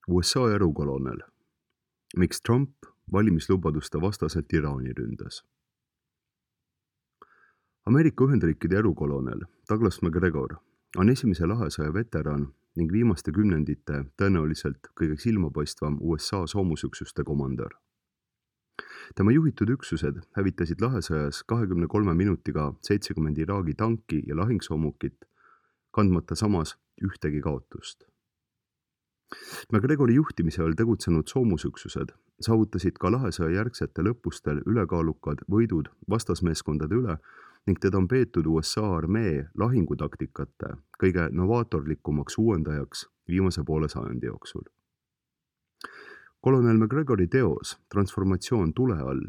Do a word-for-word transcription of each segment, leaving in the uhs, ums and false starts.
U S A erukolonel. Miks Trump valimislubaduste vastaselt Iraani ründas? Ameerika Ühendriikide erukolonel Douglas MacGregor on esimese lahesõja veteran ning viimaste kümnendite tõenäoliselt kõige silmapaistvam U S A soomusüksuste komandör. Tema juhitud üksused hävitasid lahesõjas kahekümne kolme minutiga seitsekümmend Iraagi tanki ja lahingsoomukit, kandmata samas ühtegi kaotust. MacGregori juhtimise all tegutsenud soomusüksused saavutasid ka lahesõja järgsete lõpustel ülekaalukad võidud vastasmeeskondade üle ning teda on peetud U S A armee lahingutaktikate kõige novaatorlikumaks uuendajaks viimase poole sajandi jooksul. Kolonel MacGregori teos Transformatsioon tule all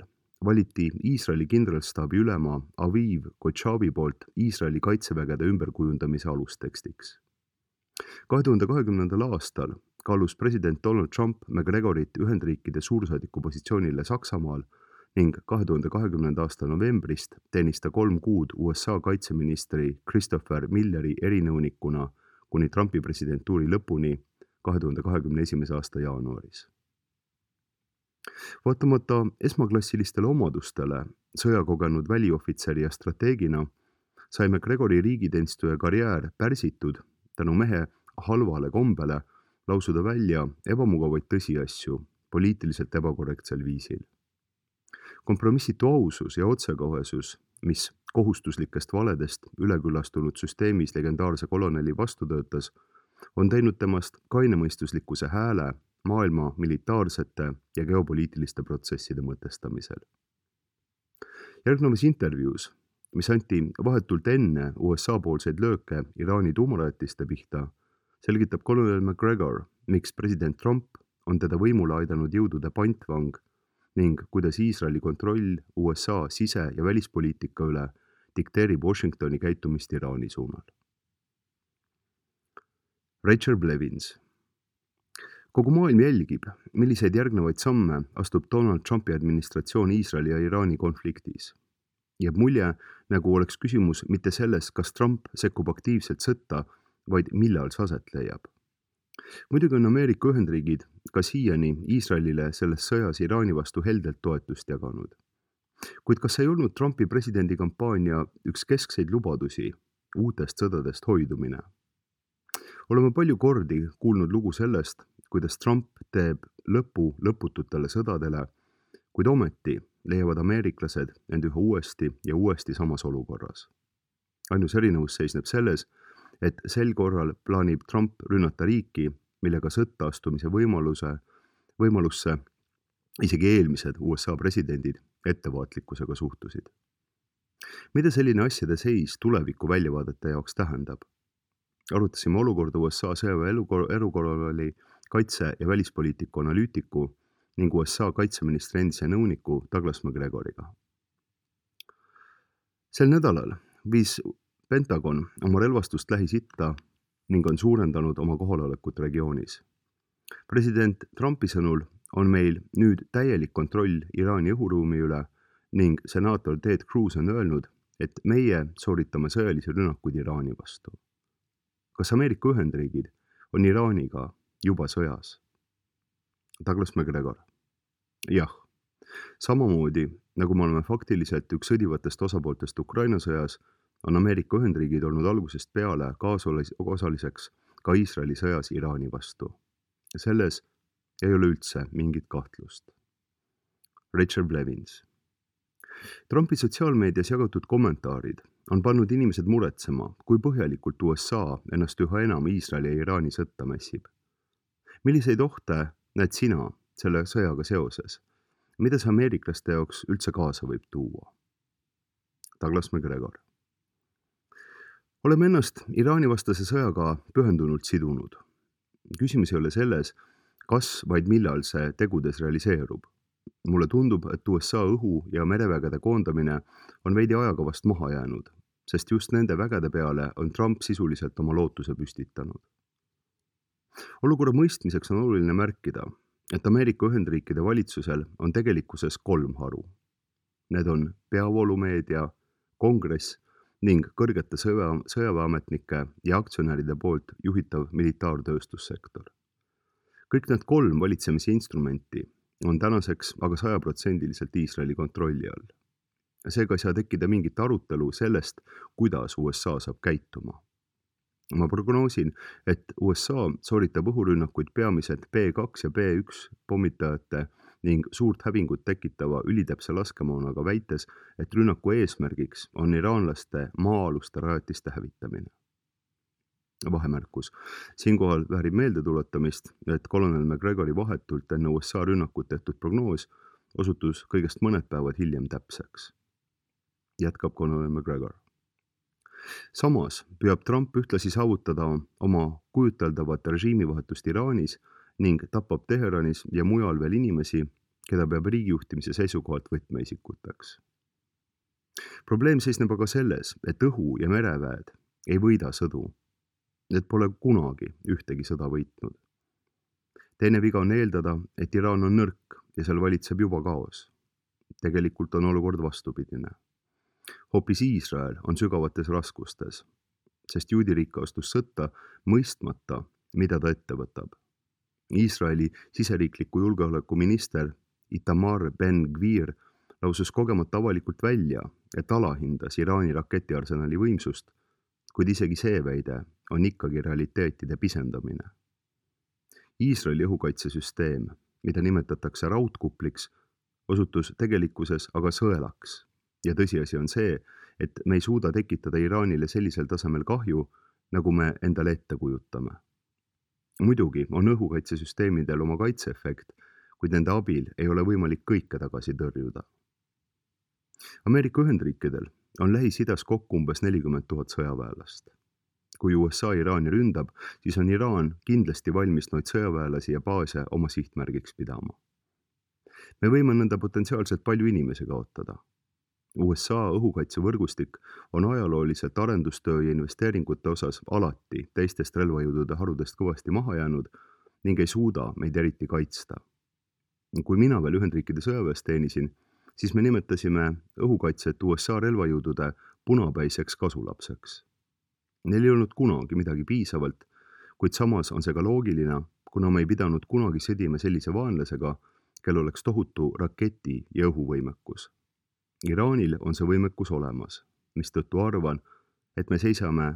valiti Iisraeli kindralstaabi ülema Aviv Kochavi poolt Iisraeli kaitsevägede ümberkujundamise alustekstiks. kahe tuhande kahekümnendal aastal kaalus president Donald Trump MacGregorit Ühendriikide suursaadiku positsioonile Saksamaal ning kahe tuhande kahekümnenda aasta novembrist teenis ta kolm kuud U S A kaitseministri Christopher Milleri erinõunikuna kuni Trumpi presidentuuri lõpuni kahe tuhande kahekümne esimese aasta jaanuaris. Vaatamata esmaklassilistele omadustele sõjakogenud väliohvitseri ja strateegina sai MacGregori riigiteenistuja karjäär pärsitud tänu mehe halvale kombele lausuda välja ebamugavaid tõsiasju poliitiliselt ebakorrektsel viisil. Kompromissitu ausus ja otsekohesus, mis kohustuslikest valedest üleküllastunud süsteemis legendaarse koloneli vastu töötas, on teinud temast kainemõistuslikkuse hääle maailma militaarsete ja geopoliitiliste protsesside mõtestamisel. Järgnevas intervjuus, mis anti vahetult enne U S A poolseid lööke Iraani tuumarajatiste pihta, selgitab kolonel MacGregor, miks president Trump on teda võimule aidanud jõudude pantvang ning kuidas Iisraeli kontroll U S A sise- ja välispoliitika üle dikteerib Washingtoni käitumist Iraani suunal. Rachel Blevins. Kogu maailm jälgib, milliseid järgnevaid samme astub Donald Trumpi administratsioon Iisraeli ja Iraani konfliktis. Jääb mulje, nagu oleks küsimus mitte selles, kas Trump sekkub aktiivselt sõtta, vaid millal see aset leiab. Muidugi on Ameerika Ühendriigid ka siiani Iisraelile selles sõjas Iraani vastu heldelt toetust jaganud. Kuid kas ei olnud Trumpi presidendikampaania üks keskseid lubadusi uutest sõdadest hoidumine? Oleme palju kordi kuulnud lugu sellest, kuidas Trump teeb lõpu lõpututele sõdadele, kuid ometi leiavad ameeriklased end üha uuesti ja uuesti samas olukorras. Ainus erinevus seisneb selles, et sel korral plaanib Trump rünnata riiki, millega sõtta astumise võimaluse, võimalusse isegi eelmised U S A presidendid ettevaatlikkusega suhtusid. Mida selline asjade seis tuleviku väljavaadete jaoks tähendab? Arutasime olukorda U S A sõjaväe erukoloneli kaitse- ja välispoliitiku analüütiku ning U S A kaitseministri endise nõuniku Douglas MacGregoriga. Sel nädalal viis Pentagon oma relvastust Lähis-Itta ning on suurendanud oma kohalolekut regioonis. President Trumpi sõnul on meil nüüd täielik kontroll Iraani õhuruumi üle ning senaator Ted Cruz on öelnud, et meie sooritame sõjalisi rünnakuid Iraani vastu. Kas Ameerika Ühendriigid on Iraaniga juba sõjas? Douglas MacGregor. Jah, samamoodi nagu me oleme faktiliselt üks sõdivatest osapooltest Ukraina sõjas, on Ameerika Ühendriigid olnud algusest peale kaasosaliseks ka Iisraeli sõjas Iraani vastu. Selles ei ole üldse mingit kahtlust. Rachel Blevins. Trumpi sotsiaalmeedias jagatud kommentaarid on pannud inimesed muretsema, kui põhjalikult U S A ennast üha enam Iisraeli ja Iraani sõtta mässib. Milliseid ohte näed sina selle sõjaga seoses? Mida see ameeriklaste jaoks üldse kaasa võib tuua? Douglas MacGregor. Oleme ennast Iraani vastase sõjaga pühendunult sidunud. Küsimus ei ole selles, kas vaid millal see tegudes realiseerub. Mulle tundub, et U S A õhu- ja merevägede koondamine on veidi ajakavast maha jäänud, sest just nende vägede peale on Trump sisuliselt oma lootuse püstitanud. Olukorra mõistmiseks on oluline märkida, et Ameerika Ühendriikide valitsusel on tegelikkuses kolm haru. Need on peavoolumeedia, kongress ning kõrgete sõja, sõjaväeametnike ja aktsionäride poolt juhitav militaartööstussektor. Kõik need kolm valitsemise instrumenti on tänaseks aga sajaprotsendiliselt Iisraeli kontrolli all. Seega ei saa tekkida mingit arutelu sellest, kuidas U S A saab käituma. Ma prognoosin, et U S A sooritab õhurünnakuid peamiselt B kaks ja B üks pommitajate ning suurt hävingut tekitava ülitäpse laskemoonaga, väites, et rünnaku eesmärgiks on iraanlaste maa-aluste rajatiste hävitamine. Vahemärkus. Siinkohal väärib meeldetuletamist, et kolonel McGregori vahetult enne U S A rünnakut tehtud prognoos osutus kõigest mõned päevad hiljem täpseks. Jätkab kolonel McGregor. Samas püüab Trump ühtlasi saavutada oma kujuteldavat režiimivahetust Iraanis ning tapab Teheranis ja mujal veel inimesi, keda peab riigijuhtimise seisukohalt võtmeisikuteks. Probleem seisneb aga selles, et õhu- ja mereväed ei võida sõdu. Need pole kunagi ühtegi sõda võitnud. Teine viga on eeldada, et Iraan on nõrk ja seal valitseb juba kaos. Tegelikult on olukord vastupidine. Hoopis Iisrael on sügavates raskustes, sest juudiriik astus sõtta mõistmata, mida ta ette võtab. Iisraeli siseriikliku julgeolekuminister Itamar Ben-Gvir lausus kogemata avalikult välja, et alahindas Iraani raketiarsenali võimsust, kuid isegi see väide on ikkagi realiteetide pisendamine. Iisraeli õhukaitsesüsteem, mida nimetatakse raudkupliks, osutus tegelikkuses aga sõelaks. Ja tõsiasi on see, et me ei suuda tekitada Iraanile sellisel tasemel kahju, nagu me endale ette kujutame. Muidugi on õhukaitsesüsteemidel oma kaitseefekt, kuid nende abil ei ole võimalik kõike tagasi tõrjuda. Ameerika Ühendriikidel on Lähis-Idas kokku umbes nelikümmend tuhat sõjaväelast. Kui U S A Iraani ründab, siis on Iraan kindlasti valmis noid sõjaväelasi ja baase oma sihtmärgiks pidama. Me võime nõnda potentsiaalselt palju inimesi kaotada. U S A õhukaitsevõrgustik on ajalooliselt arendustöö ja investeeringute osas alati teistest relvajõudude harudest kõvasti maha jäänud ning ei suuda meid eriti kaitsta. Kui mina veel Ühendriikide sõjaväes teenisin, siis me nimetasime õhukaitset U S A relvajõudude punapäiseks kasulapseks. Neil ei olnud kunagi midagi piisavalt, kuid samas on see ka loogiline, kuna me ei pidanud kunagi sõdima sellise vaenlasega, kel oleks tohutu raketi- ja õhuvõimekus. Iraanil on see võimekus olemas, mistõttu arvan, et me seisame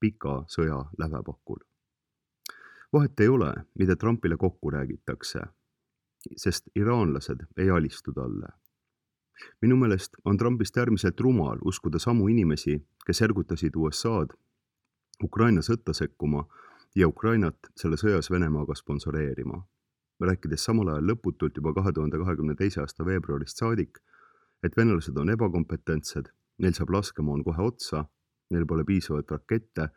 pika sõja lävepakul. Vahet ei ole, mida Trumpile kokku räägitakse, sest iraanlased ei alistu talle. Minu meelest on Trumpist äärmiselt rumal uskuda samu inimesi, kes ergutasid U S A-d Ukraina sõtta sekkuma ja Ukrainat selle sõjas Venemaaga sponsoreerima. Rääkides samal ajal lõputult juba kahe tuhande kahekümne teise aasta veebruarist saadik, et venelased on ebakompetentsed, neil saab laskemoon kohe otsa, neil pole piisavalt rakette,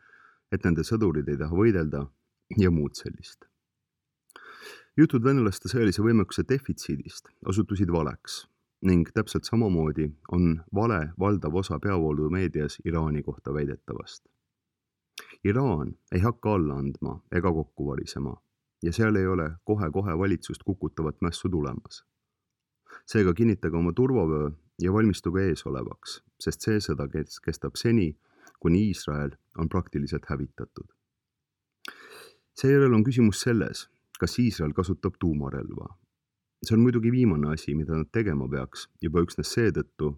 et nende sõdurid ei taha võidelda ja muud sellist. Jutud venelaste sõjalise võimekuse defitsiidist osutusid valeks ning täpselt samamoodi on vale valdav osa peavoolumeedias Iraani kohta väidetavast. Iraan ei hakka alla andma ega kokku varisema ja seal ei ole kohe-kohe valitsust kukutavat mässu tulemas. Seega kinnitage oma turvavöö ja valmistuge ees olevaks, sest see sõda kestab seni, kuni Iisrael on praktiliselt hävitatud. Seejärel on küsimus selles, kas Iisrael kasutab tuumarelva. See on muidugi viimane asi, mida nad tegema peaks, juba üksnes seetõttu,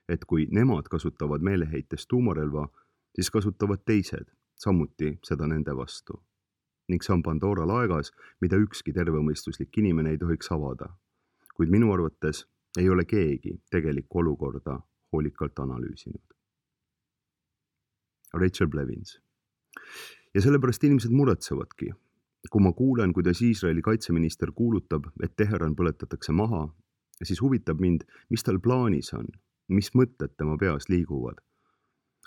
et kui nemad kasutavad meeleheites tuumarelva, siis kasutavad teised samuti seda nende vastu. Ning see on Pandora laegas, mida ükski tervemõistuslik inimene ei tohiks avada. Kuid minu arvates ei ole keegi tegelikku olukorda hoolikalt analüüsinud. Rachel Blevins. Ja sellepärast inimesed muretsevadki. Kui ma kuulen, kuidas Iisraeli kaitseminister kuulutab, et Teheran põletatakse maha, siis huvitab mind, mis tal plaanis on, mis mõtted tema peas liiguvad.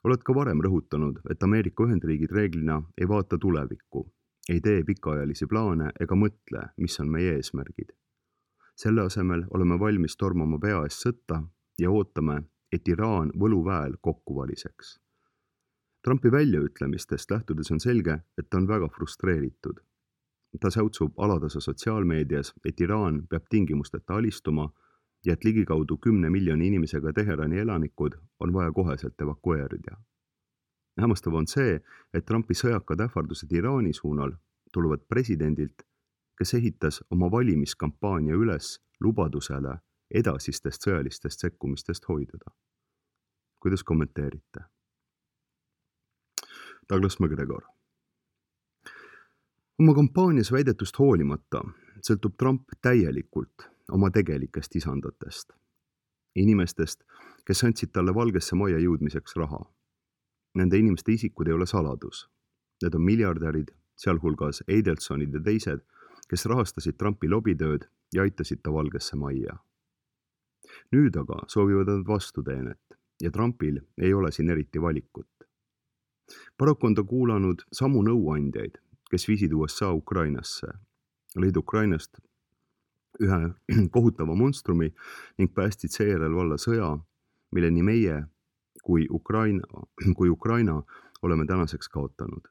Oled ka varem rõhutanud, et Ameerika Ühendriigid reeglina ei vaata tulevikku, ei tee pikaajalisi plaane ega mõtle, mis on meie eesmärgid. Selle asemel oleme valmis tormama pea ees sõtta ja ootame, et Iraan võluväel kokku variseks. Trumpi väljaütlemistest lähtudes on selge, et ta on väga frustreeritud. Ta säutsub alatasa sotsiaalmeedias, et Iraan peab tingimusteta alistuma ja et ligikaudu kümne miljoni inimesega Teherani elanikud on vaja koheselt evakueerida. Hämmastav on see, et Trumpi sõjakad ähvardused Iraani suunal tulevad presidendilt, kes ehitas oma valimiskampaania üles lubadusele edasistest sõjalistest sekkumistest hoiduda. Kuidas kommenteerite? Douglas McGregor. Oma kampaanias väidetust hoolimata sõltub Trump täielikult oma tegelikest isandatest. Inimestest, kes andsid talle Valgesse Majja jõudmiseks raha. Nende inimeste isikud ei ole saladus. Need on miljardärid, sealhulgas Adelsonid ja teised, kes rahastasid Trumpi lobitööd ja aitasid ta Valgesse Majja. Nüüd aga soovivad nad vastuteenet ja Trumpil ei ole siin eriti valikut. Paraku on ta kuulanud samu nõuandjaid, kes viisid U S A Ukrainasse, lõid Ukrainast ühe kohutava monstrumi ning päästsid seejärel valla sõja, mille nii meie kui Ukraina, kui Ukraina oleme tänaseks kaotanud.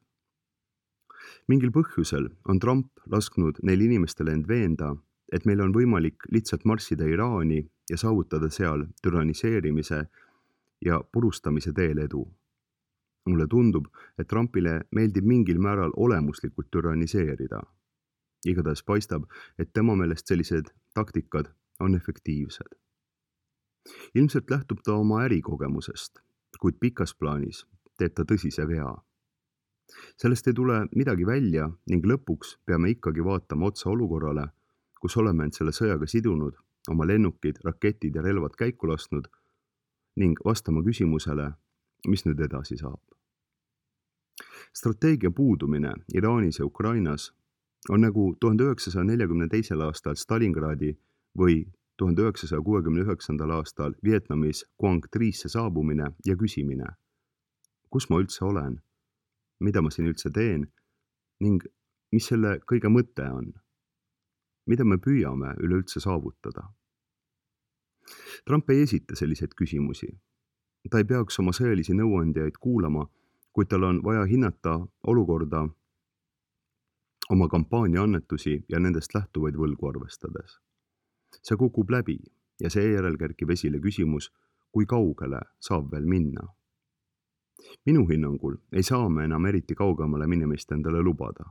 Mingil põhjusel on Trump lasknud neil inimestele end veenda, et meil on võimalik lihtsalt marssida Iraani ja saavutada seal türaniseerimise ja purustamise teel edu. Mulle tundub, et Trumpile meeldib mingil määral olemuslikult türaniseerida. Igatahes paistab, et tema meelest sellised taktikad on efektiivsed. Ilmselt lähtub ta oma ärikogemusest, kuid pikas plaanis teeb ta tõsise vea. Sellest ei tule midagi välja ning lõpuks peame ikkagi vaatama otsa olukorrale, kus oleme end selle sõjaga sidunud, oma lennukid, raketid ja relvad käiku lasknud ning vastama küsimusele, mis nüüd edasi saab. Strateegia puudumine Iraanis ja Ukrainas on nagu tuhande üheksasaja neljakümne teisel aastal Stalingradi või tuhande üheksasaja kuuekümne üheksandal aastal Vietnamis Quang Trisse saabumine ja küsimine, kus ma üldse olen, mida ma siin üldse teen ning mis selle kõige mõte on, mida me püüame üleüldse saavutada. Trump ei esita selliseid küsimusi. Ta ei peaks oma sõjalisi nõuandjaid kuulama, kuid tal on vaja hinnata olukorda oma kampaania annetusi ja nendest lähtuvaid võlgu arvestades. See kukub läbi ja seejärel kerkib esile küsimus, kui kaugele saab veel minna. Minu hinnangul ei saa me enam eriti kaugemale minemist endale lubada.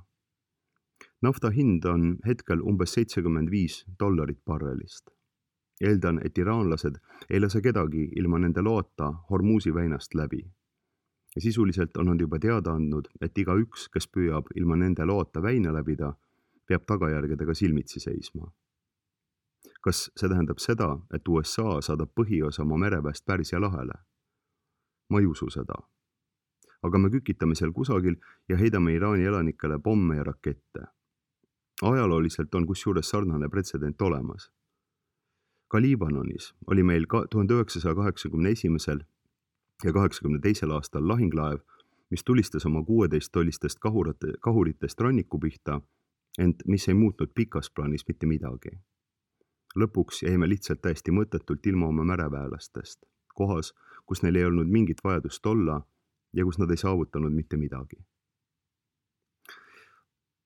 Nafta hind on hetkel umbes seitsekümmend viis dollarit barrelist. Eeldan, et iraanlased ei lase kedagi ilma nende loota Hormuzi väinast läbi. Ja sisuliselt on nad juba teada andnud, et iga üks, kes püüab ilma nende loota väina läbida, peab tagajärgedega silmitsi seisma. Kas see tähendab seda, et U S A saadab põhiosa oma mereväest Pärsia lahele? Ma ei usu seda. Aga me kükitame seal kusagil ja heidame Iraani elanikele pomme ja rakette. Ajalooliselt on kusjuures sarnane pretsedent olemas. Ka Liibanonis oli meil tuhande üheksasaja kaheksakümne esimesel ja kaheksakümne teisel aastal lahinglaev, mis tulistas oma kuueteist tollistest kahuritest ranniku pihta, ent mis ei muutnud pikas plaanis mitte midagi. Lõpuks jäime lihtsalt täiesti mõttetult ilma oma märeväelastest, kohas, kus neil ei olnud mingit vajadust olla ja kus nad ei saavutanud mitte midagi.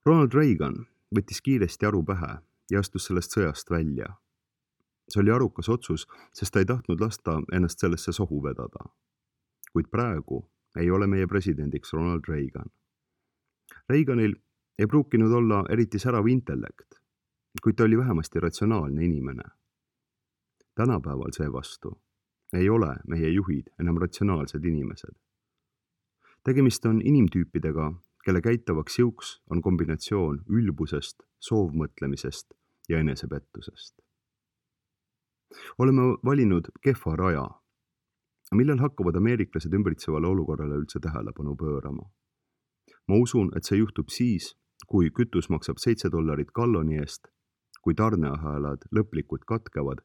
Ronald Reagan võttis kiiresti aru pähe ja astus sellest sõjast välja. See oli arukas otsus, sest ta ei tahtnud lasta ennast sellesse sohu vedada. Kuid praegu ei ole meie presidendiks Ronald Reagan. Reaganil ei pruukinud olla eriti särav intellekt, kuid ta oli vähemasti ratsionaalne inimene. Tänapäeval seevastu ei ole meie juhid enam ratsionaalsed inimesed. Tegemist on inimtüüpidega, kelle käitavaks jõuks on kombinatsioon ülbusest, soovmõtlemisest ja enesepettusest. Oleme valinud kehva raja. Millal hakkavad ameeriklased ümbritsevale olukorrale üldse tähelepanu pöörama? Ma usun, et see juhtub siis, kui kütus maksab seitse dollarit galloni eest, kui tarneahelad lõplikult katkevad,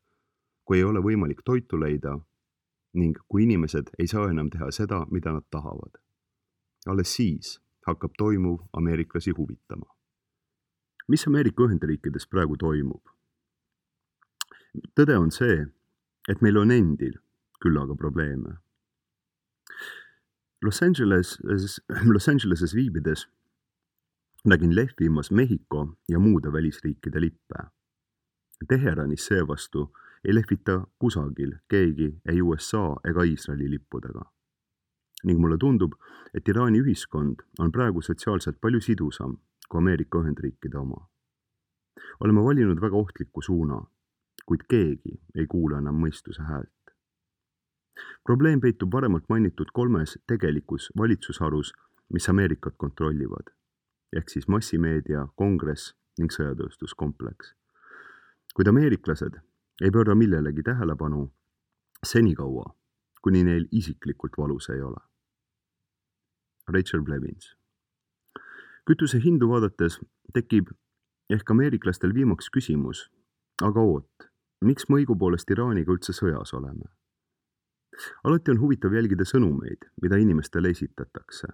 kui ei ole võimalik toitu leida ning kui inimesed ei saa enam teha seda, mida nad tahavad. Alles siis hakkab toimuv ameeriklasi huvitama. Mis Ameerika Ühendriikides praegu toimub? Tõde on see, et meil on endil küllaga probleeme. Los Angeleses, Los Angeleses viibides nägin lehvimas Mehhiko ja muude välisriikide lippe. Teheranis seevastu ei lehvita kusagil keegi ei U S A ega Iisraeli lippudega. Ning mulle tundub, et Iraani ühiskond on praegu sotsiaalselt palju sidusam kui Ameerika Ühendriikide oma. Oleme valinud väga ohtliku suuna, kuid keegi ei kuula enam mõistuse häält. Probleem peitub varemalt mainitud kolmes tegelikus valitsusharus, mis Ameerikat kontrollivad, ehk siis massimeedia, kongress ning sõjatööstuskompleks. Kuid ameeriklased ei pööra millelegi tähelepanu senikaua, kuni neil isiklikult valus ei ole. Rachel Blevins. Kütuse hindu vaadates tekib ehk ameeriklastel viimaks küsimus, aga oot, miks me õigupoolest Iraaniga üldse sõjas oleme? Alati on huvitav jälgida sõnumeid, mida inimestele esitatakse.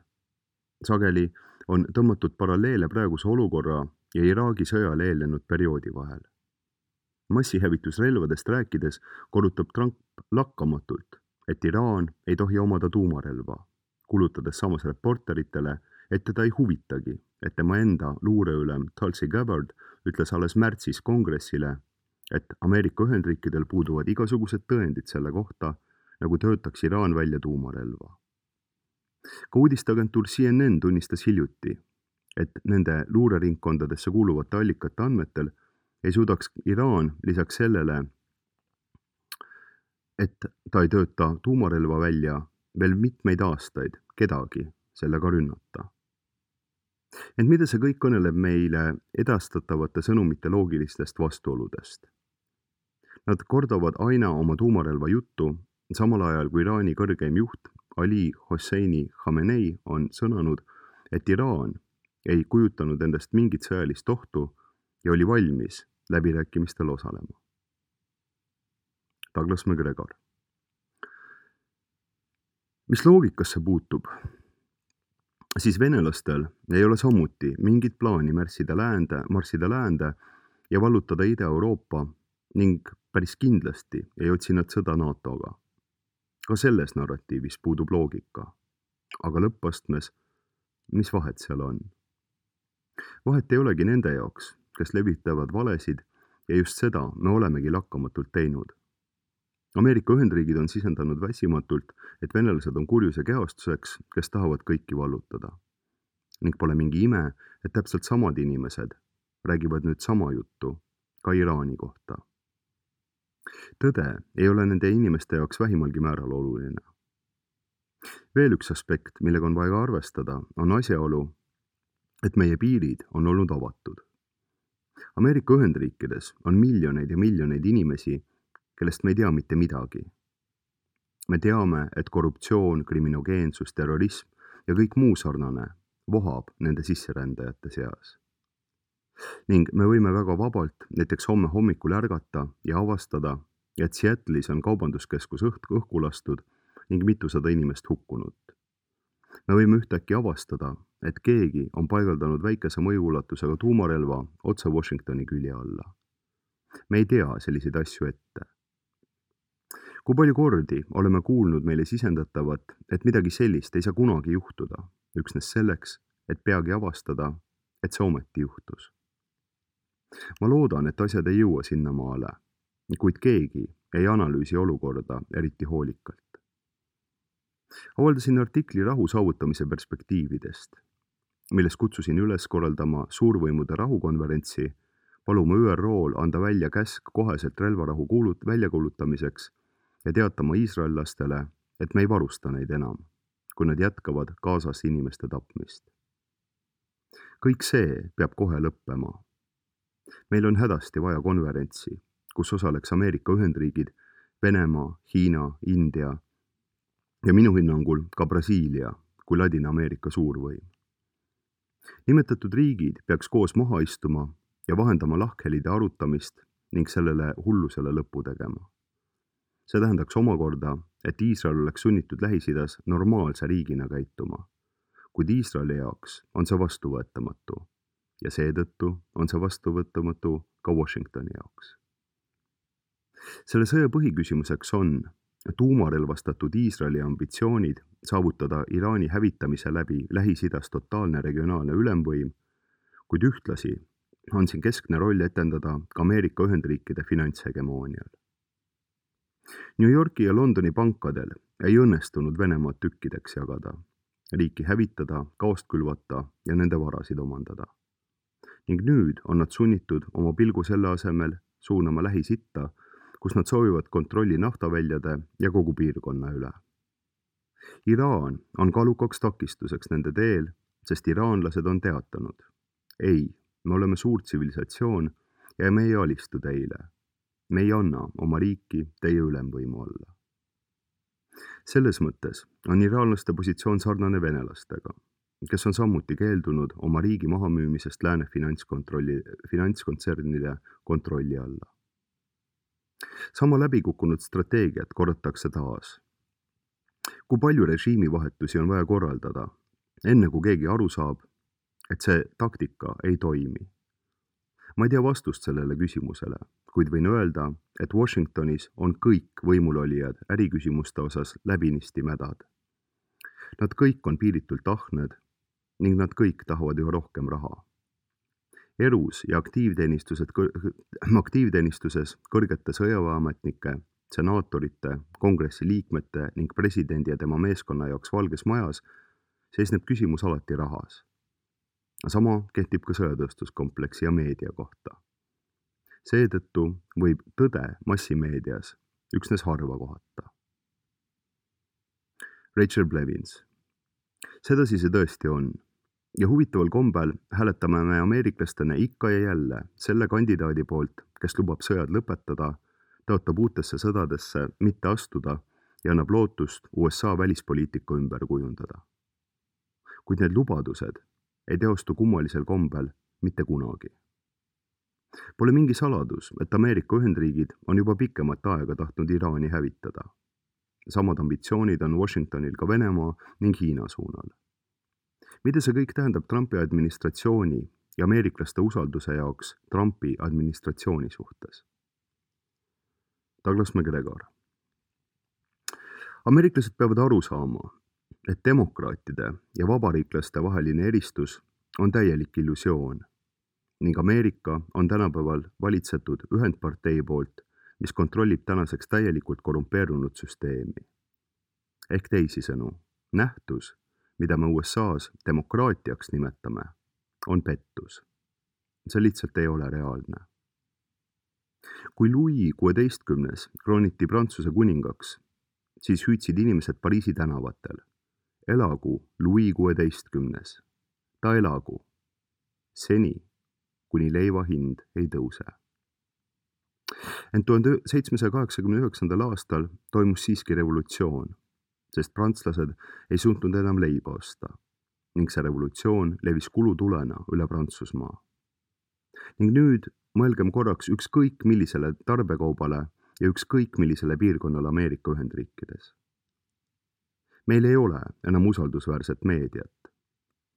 Sageli on tõmmatud paralleele praeguse olukorra ja Iraagi sõjale eelnenud perioodi vahel. Massihävitusrelvadest rääkides korrutab Trump lakkamatult, et Iraan ei tohi omada tuumarelva, kulutades samas reporteritele, et teda ei huvitagi, et tema enda luureülem Tulsi Gabbard ütles alles märtsis kongressile, et Ameerika Ühendriikidel puuduvad igasugused tõendid selle kohta, nagu töötaks Iraan välja tuumarelva. Ka uudisteagentuur C N N tunnistas hiljuti, et nende luureringkondadesse kuuluvate allikate andmetel ei suudaks Iraan lisaks sellele, et ta ei tööta tuumarelva välja veel mitmeid aastaid kedagi sellega rünnata. Ent mida see kõik kõneleb meile edastatavate sõnumite loogilistest vastuoludest? Nad kordavad aina oma tuumarelva juttu, samal ajal kui Iraani kõrgeim juht Ali Hosseini Khamenei on sõnanud, et Iraan ei kujutanud endast mingit sõjalist ohtu ja oli valmis läbirääkimistel osalema. Douglas McGregor. Mis loogikasse puutub, siis venelastel ei ole samuti mingit plaani märssida läände, marssida läände ja vallutada Ida-Euroopa ning päris kindlasti ei otsi nad sõda NATOga. Ka selles narratiivis puudub loogika. Aga lõppastmes, mis vahet seal on? Vahet ei olegi nende jaoks, kes levitavad valesid ja just seda me olemegi lakkamatult teinud. Ameerika Ühendriigid on sisendanud väsimatult, et venelased on kurjuse kehastuseks, kes tahavad kõiki vallutada. Ning pole mingi ime, et täpselt samad inimesed räägivad nüüd sama juttu ka Iraani kohta. Tõde ei ole nende inimeste jaoks vähimalgi määral oluline. Veel üks aspekt, millega on vaja arvestada, on asjaolu, et meie piirid on olnud avatud. Ameerika Ühendriikides on miljoneid ja miljoneid inimesi, kellest me ei tea mitte midagi. Me teame, et korruptsioon, kriminogeensus, terrorism ja kõik muu sarnane vohab nende sisserändajate seas. Ning me võime väga vabalt näiteks homme hommikul ärgata ja avastada, et Seattle'is on kaubanduskeskus õht õhku lastud ning mitusada inimest hukkunud. Me võime ühtäkki avastada, et keegi on paigaldanud väikese mõjuulatusega tuumarelva otse Washingtoni külje alla. Me ei tea selliseid asju ette. Kui palju kordi oleme kuulnud meile sisendatavat, et midagi sellist ei saa kunagi juhtuda, üksnes selleks, et peagi avastada, et see ometi juhtus. Ma loodan, et asjad ei jõua sinnamaale, kuid keegi ei analüüsi olukorda eriti hoolikalt. Avaldasin artikli rahu saavutamise perspektiividest, milles kutsusin üles korraldama suurvõimude rahukonverentsi, paluma Ü R O-l anda välja käsk koheselt relvarahu kuulut väljakuulutamiseks ja teatama iisraellastele, et me ei varusta neid enam, kui nad jätkavad Gazas inimeste tapmist. Kõik see peab kohe lõppema. Meil on hädasti vaja konverentsi, kus osaleks Ameerika Ühendriigid, Venemaa, Hiina, India ja minu hinnangul ka Brasiilia kui Ladina-Ameerika suurvõim. Nimetatud riigid peaks koos maha istuma ja vahendama lahkhelide arutamist ning sellele hullusele lõpu tegema. See tähendaks omakorda, et Iisrael oleks sunnitud Lähis-Idas normaalse riigina käituma, kuid Iisraeli jaoks on see vastuvõetamatu ja seetõttu on see vastuvõetamatu ka Washingtoni jaoks. Selle sõja põhiküsimuseks on tuumarelvastatud Iisraeli ambitsioonid saavutada Iraani hävitamise läbi Lähis-Idas totaalne regionaalne ülemvõim, kuid ühtlasi on siin keskne roll etendada ka Ameerika Ühendriikide finantshegemoonial. New Yorki ja Londoni pankadel ei õnnestunud Venemaad tükkideks jagada, riiki hävitada, kaost külvata ja nende varasid omandada. ning nüüd on nad sunnitud oma pilgu selle asemel suunama Lähis-Itta, kus nad soovivad kontrolli naftaväljade ja kogu piirkonna üle. Iraan on kaalukaks takistuseks nende teel, sest iraanlased on teatanud. Ei, me oleme suur tsivilisatsioon ja me ei alistu teile. Me ei anna oma riiki teie ülemvõimu alla. Selles mõttes on iraanlaste positsioon sarnane venelastega, kes on samuti keeldunud oma riigi mahamüümisest lääne finantskontrolli, finantskontsernide kontrolli alla. Sama läbikukkunud strateegiat korratakse taas. Kui palju režiimivahetusi on vaja korraldada, enne kui keegi aru saab, et see taktika ei toimi? Ma ei tea vastust sellele küsimusele, kuid võin öelda, et Washingtonis on kõik võimulolijad äriküsimuste osas läbinisti mädad. Nad kõik on piiritult ahned ning nad kõik tahavad üha rohkem raha. Erus ja aktiivteenistused, aktiivteenistuses kõrgete sõjaväeametnike, senaatorite, kongressi liikmete ning presidendi ja tema meeskonna jaoks Valges Majas seisneb küsimus alati rahas. Sama kehtib ka sõjatööstuskompleksi ja meedia kohta. Seetõttu võib tõde massimeedias üksnes harva kohata. Rachel Blevins. Sedasi see tõesti on. Ja huvitaval kombel hääletame me ameeriklastena ikka ja jälle selle kandidaadi poolt, kes lubab sõjad lõpetada, tõotab uutesse sõdadesse mitte astuda ja annab lootust U S A välispoliitika ümber kujundada. Kuid need lubadused ei teostu kummalisel kombel mitte kunagi. Pole mingi saladus, et Ameerika Ühendriigid on juba pikemat aega tahtnud Iraani hävitada. Samad ambitsioonid on Washingtonil ka Venemaa ning Hiina suunal. Mida see kõik tähendab Trumpi administratsiooni ja ameeriklaste usalduse jaoks Trumpi administratsiooni suhtes? Douglas McGregor. Ameeriklased peavad aru saama, et demokraatide ja vabariiklaste vaheline eristus on täielik illusioon ning Ameerika on tänapäeval valitsetud ühendpartei poolt, mis kontrollib tänaseks täielikult korrumpeerunud süsteemi. Ehk teisisõnu, nähtus, mida me U S A-s demokraatiaks nimetame, on pettus. See lihtsalt ei ole reaalne. Kui Louis kuueteistkümnes krooniti Prantsuse kuningaks, siis hüüdsid inimesed Pariisi tänavatel. Elagu Louis kuueteistkümnes. Ta elagu. Seni, kuni leiva hind ei tõuse. Ent tuhande seitsmesaja kaheksakümne üheksandal aastal toimus siiski revolutsioon, sest prantslased ei suutnud enam leiba osta ning see revolutsioon levis kulutulena üle Prantsusmaa. Ning nüüd mõelgem korraks ükskõik millisele tarbekaubale ja ükskõik millisele piirkonnale Ameerika Ühendriikides. Meil ei ole enam usaldusväärset meediat.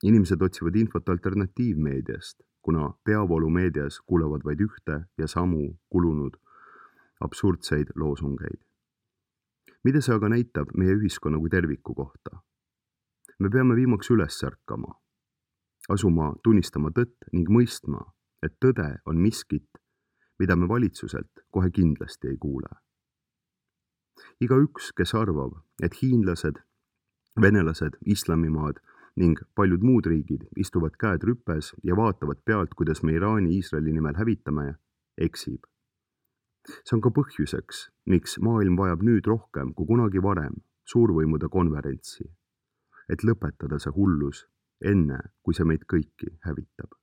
Inimesed otsivad infot alternatiivmeediast, kuna peavoolumeedias kuulevad vaid ühte ja samu kulunud absurdseid loosungeid. Mida see aga näitab meie ühiskonna kui terviku kohta? Me peame viimaks üles ärkama, asuma tunnistama tõtt ning mõistma, et tõde on miskit, mida me valitsuselt kohe kindlasti ei kuule. Igaüks, kes arvab, et hiinlased, venelased, islamimaad ning paljud muud riigid istuvad käed rüpes ja vaatavad pealt, kuidas me Iraani Iisraeli nimel hävitame, eksib. See on ka põhjuseks, miks maailm vajab nüüd rohkem kui kunagi varem suurvõimude konverentsi, et lõpetada see hullus enne, kui see meid kõiki hävitab.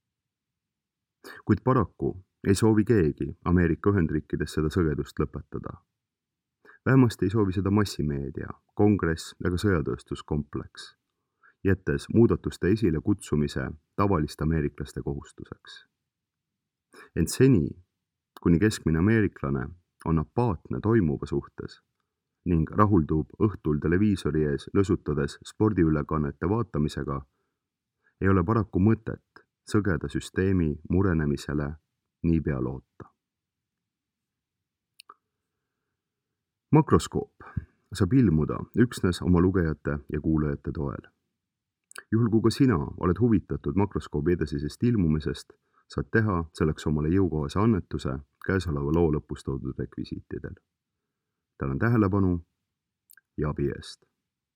Kuid paraku ei soovi keegi Ameerika Ühendriikides seda sõgedust lõpetada. Vähemasti ei soovi seda massimeedia, kongress ega sõjatööstuskompleks, jättes muudatuste esile kutsumise tavaliste ameeriklaste kohustuseks. Ent seni, kuni keskmine ameeriklane on apaatne toimuva suhtes ning rahuldub õhtul televiisori ees lõsutades spordiülekannete vaatamisega, ei ole paraku mõtet sõgeda süsteemi murenemisele niipea loota. Makroskoop saab ilmuda üksnes oma lugejate ja kuulajate toel. Juhul kui ka sina oled huvitatud makroskoobi edasisest ilmumisest, saad teha selleks omale jõukohase annetuse käesoleva loo lõpus toodud rekvisiitidel. Tänan tähelepanu ja abi eest.